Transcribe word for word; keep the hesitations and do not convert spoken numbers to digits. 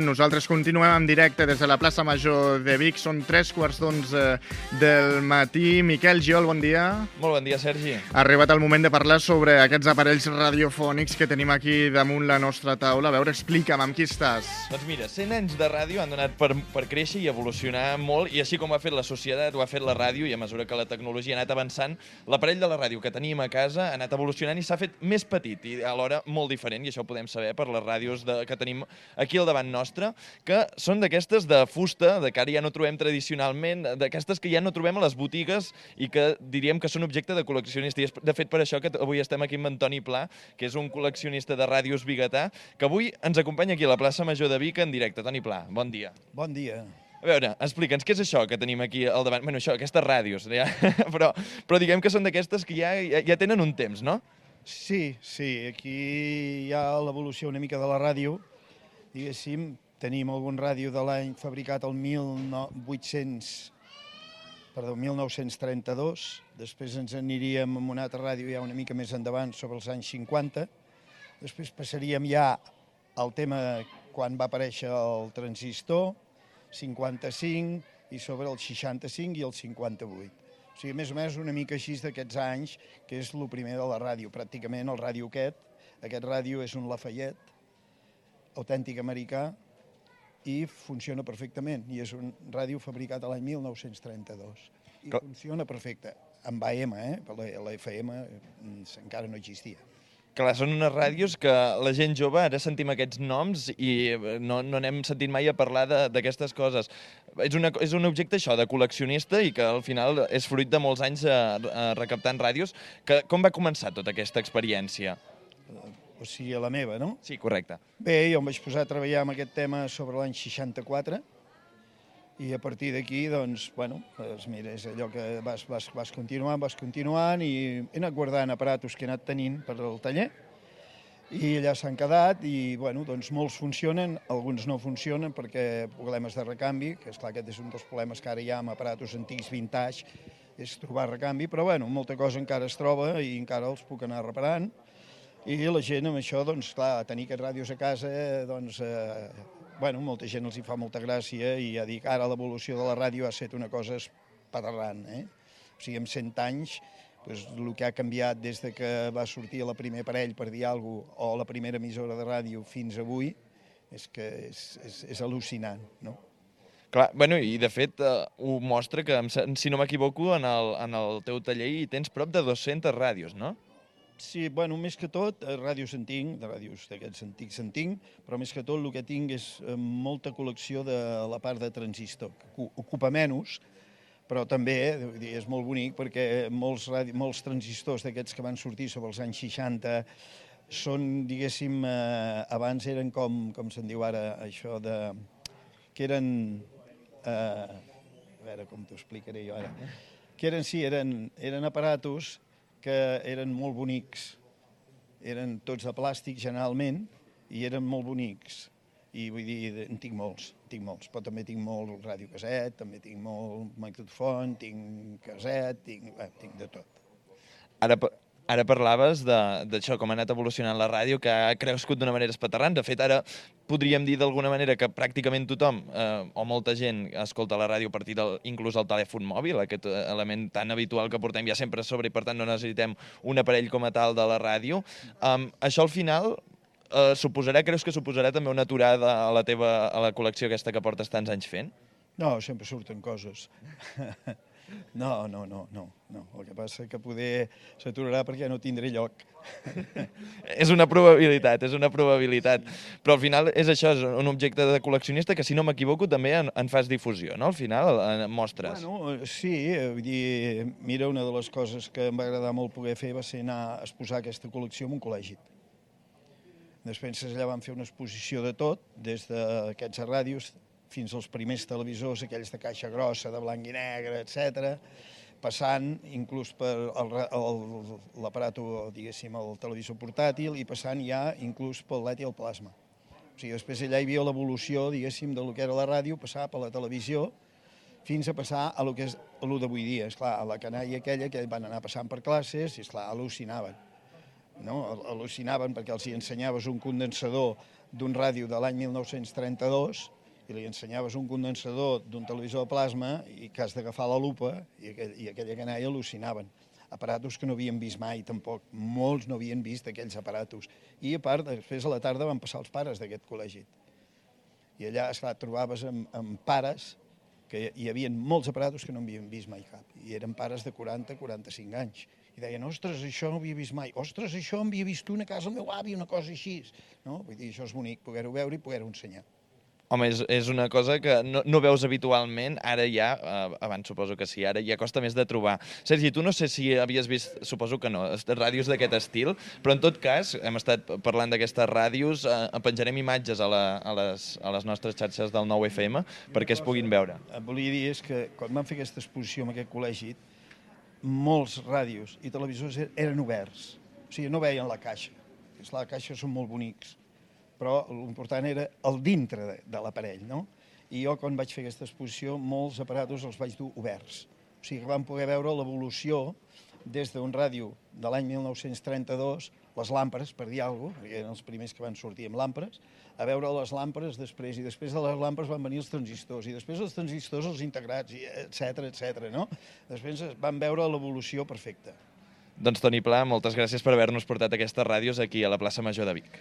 Nosaltres continuem en directe des de la plaça Major de Vic. Són tres quarts d'onze del matí. Miquel Giol, bon dia. Molt bon dia, Sergi. Ha arribat el moment de parlar sobre aquests aparells radiofònics que tenim aquí damunt la nostra taula. A veure, explica'm, amb qui estàs? Doncs mira, cent anys de ràdio han donat per, per créixer i evolucionar molt, i així com ho ha fet la societat, ho ha fet la ràdio, i a mesura que la tecnologia ha anat avançant, l'aparell de la ràdio que tenim a casa ha anat evolucionant i s'ha fet més petit i alhora molt diferent, i això ho podem saber per les ràdios de, que tenim aquí al davant nostre, que són d'aquestes de fusta, de que ara ja no trobem tradicionalment, d'aquestes que ja no trobem a les botigues i que diríem que són objecte de col·leccionista. I és de fet per això que avui estem aquí amb Antoni Pla, que és un col·leccionista de ràdios biguetà, que avui ens acompanya aquí a la plaça Major de Vic en directe. Toni Pla, bon dia. Bon dia. A veure, explica'ns, què és això que tenim aquí al davant? Bueno, això, aquestes ràdios, ja, però, però diguem que són d'aquestes que ja, ja, ja tenen un temps, no? Sí, sí, aquí hi ha l'evolució una mica de la ràdio. Diguéssim, tenim algun ràdio de l'any fabricat el mil vuit-cents, perdó, mil nou-cents trenta-dos, després ens aniríem amb una altra ràdio ja una mica més endavant, sobre els anys cinquanta, després passaríem ja al tema quan va aparèixer el transistor, cinquanta-cinc, i sobre el seixanta-cinc i el cinquanta-vuit. O sigui, més o menys una mica així d'aquests anys, que és el primer de la ràdio, pràcticament el ràdio aquest. Aquest ràdio és un Lafayette, autèntic americà, i funciona perfectament, i és un ràdio fabricat l'any mil nou-cents trenta-dos. I funciona perfecte, amb A M, eh? La F M encara no existia. Clar, són unes ràdios que la gent jove, ara sentim aquests noms i no, no n'hem sentit mai a parlar d'aquestes coses. És, una, és un objecte, això, de col·leccionista i que al final és fruit de molts anys a, a recaptant ràdios. Que, com va començar tota aquesta experiència? O sigui, a la meva, no? Sí, correcte. Bé, jo em vaig posar a treballar amb aquest tema sobre l'any seixanta-quatre i a partir d'aquí, doncs, bueno, doncs mira, és allò que vas, vas, vas continuant, vas continuant i he anat guardant aparatos que he anat tenint per al taller i allà s'han quedat i, bueno, doncs molts funcionen, alguns no funcionen perquè problemes de recanvi, que esclar, aquest és un dels problemes que ara hi ha amb aparatos antics vintage, és trobar recanvi, però, bueno, molta cosa encara es troba i encara els puc anar reparant. I la gent amb això, doncs, clar, tenir aquests ràdios a casa, doncs, eh, bueno, molta gent els hi fa molta gràcia i ja dic, ara l'evolució de la ràdio ha estat una cosa espaterrant, eh? O sigui, en cent anys, doncs, el que ha canviat des de que va sortir el primer aparell, per dir alguna cosa, o la primera emissora de ràdio fins avui, és que és, és, és al·lucinant, no? Clar, bueno, i de fet eh, ho mostra que, si no m'equivoco, en, el, en el teu taller hi tens prop de dues-centes ràdios, no? Sí, bueno, més que tot, ràdios en tinc, de ràdios d'aquests antics en tinc, però més que tot el que tinc és molta col·lecció de la part de transistor, que ocupa menys, però també és molt bonic perquè molts, molts transistors d'aquests que van sortir sobre els anys seixanta són, diguéssim, eh, abans eren com, com se'n diu ara, això de... que eren... Eh, a veure com t'ho explicaré jo ara. Que eren, sí, eren, eren aparatos que eren molt bonics, eren tots de plàstic generalment, i eren molt bonics. I vull dir, en tinc molts, tinc molts, però també tinc molt radiocaset, també tinc molt magnetofon, tinc caset, tinc, bé, tinc de tot. Ara, ara parlaves d'això, com ha anat evolucionant la ràdio, que ha crescut d'una manera espaterrant. De fet, ara podríem dir d'alguna manera que pràcticament tothom, eh, o molta gent, escolta la ràdio a partir del, inclús el telèfon mòbil, aquest element tan habitual que portem ja sempre a sobre i per tant no necessitem un aparell com a tal de la ràdio. Um, això al final eh, suposarà, creus que suposarà també una aturada a la teva a la col·lecció aquesta que portes tants anys fent? No, sempre surten coses. No, no, no, no, no. El que passa que poder s'aturarà perquè no tindré lloc. És una probabilitat, és una probabilitat. Però al final és això, és un objecte de col·leccionista que, si no m'equivoco, també en, en fas difusió, no? Al final, en mostres. Bueno, sí, vull dir, mira, una de les coses que em va agradar molt poder fer va ser anar a exposar aquesta col·lecció en un col·legi. Després allà vam fer una exposició de tot, des d'aquests ràdios fins als primers televisors, aquells de caixa grossa, de blanc i negre, etcètera, passant inclús per l'aparato, diguéssim, el televisor portàtil i passant ja inclús pel L E D i el plasma. O sigui, després allà hi havia l'evolució, diguéssim, de lo que era la ràdio, passar per la televisió, fins a passar a lo que és lo d'avui dia. Esclar, a la canalla aquella que van anar passant per classes i, esclar, al·lucinaven. No? Al·lucinaven perquè els hi ensenyaves un condensador d'un ràdio de l'any mil nou-cents trenta-dos i li ensenyaves un condensador d'un televisor de plasma i que has d'agafar la lupa i, aquell, i aquella canalla al·lucinaven. Aparatos que no havien vist mai, tampoc. Molts no havien vist aquells aparatos. I, a part, després a la tarda van passar els pares d'aquest col·legi. I allà, esclar, trobaves amb, amb pares que hi havia molts aparatos que no havien vist mai cap. I eren pares de quaranta a quaranta-cinc anys. I deien, ostres, això no ho havia vist mai. Ostres, això em havia vist una casa al meu avi, una cosa així. No? Vull dir, això és bonic, poder-ho veure i poder-ho ensenyar. Home, és, és una cosa que no, no veus habitualment, ara ja, eh, abans suposo que sí, ara ja costa més de trobar. Sergi, tu no sé si havies vist, suposo que no, ràdios d'aquest estil, però en tot cas, hem estat parlant d'aquestes ràdios, eh, penjarem imatges a, la, a, les, a les nostres xarxes del nou F M perquè es puguin veure. Et volia dir és que quan vam fer aquesta exposició en aquest col·legi, molts ràdios i televisors eren oberts, o sigui, no veien la caixa. Esclar, la caixa són molt bonics, però l'important era el dintre de, de l'aparell, no? I jo, quan vaig fer aquesta exposició, molts aparatos els vaig dur oberts. O sigui que vam poder veure l'evolució des d'un ràdio de l'any mil nou-cents trenta-dos, les làmperes, per dir alguna cosa, perquè eren els primers que van sortir amb làmperes, a veure les làmperes després, i després de les làmperes van venir els transistors, i després els transistors els integrats, etcètera, etcètera, no? Després van veure l'evolució perfecta. Doncs, Toni Pla, moltes gràcies per haver-nos portat aquestes ràdios aquí a la plaça Major de Vic.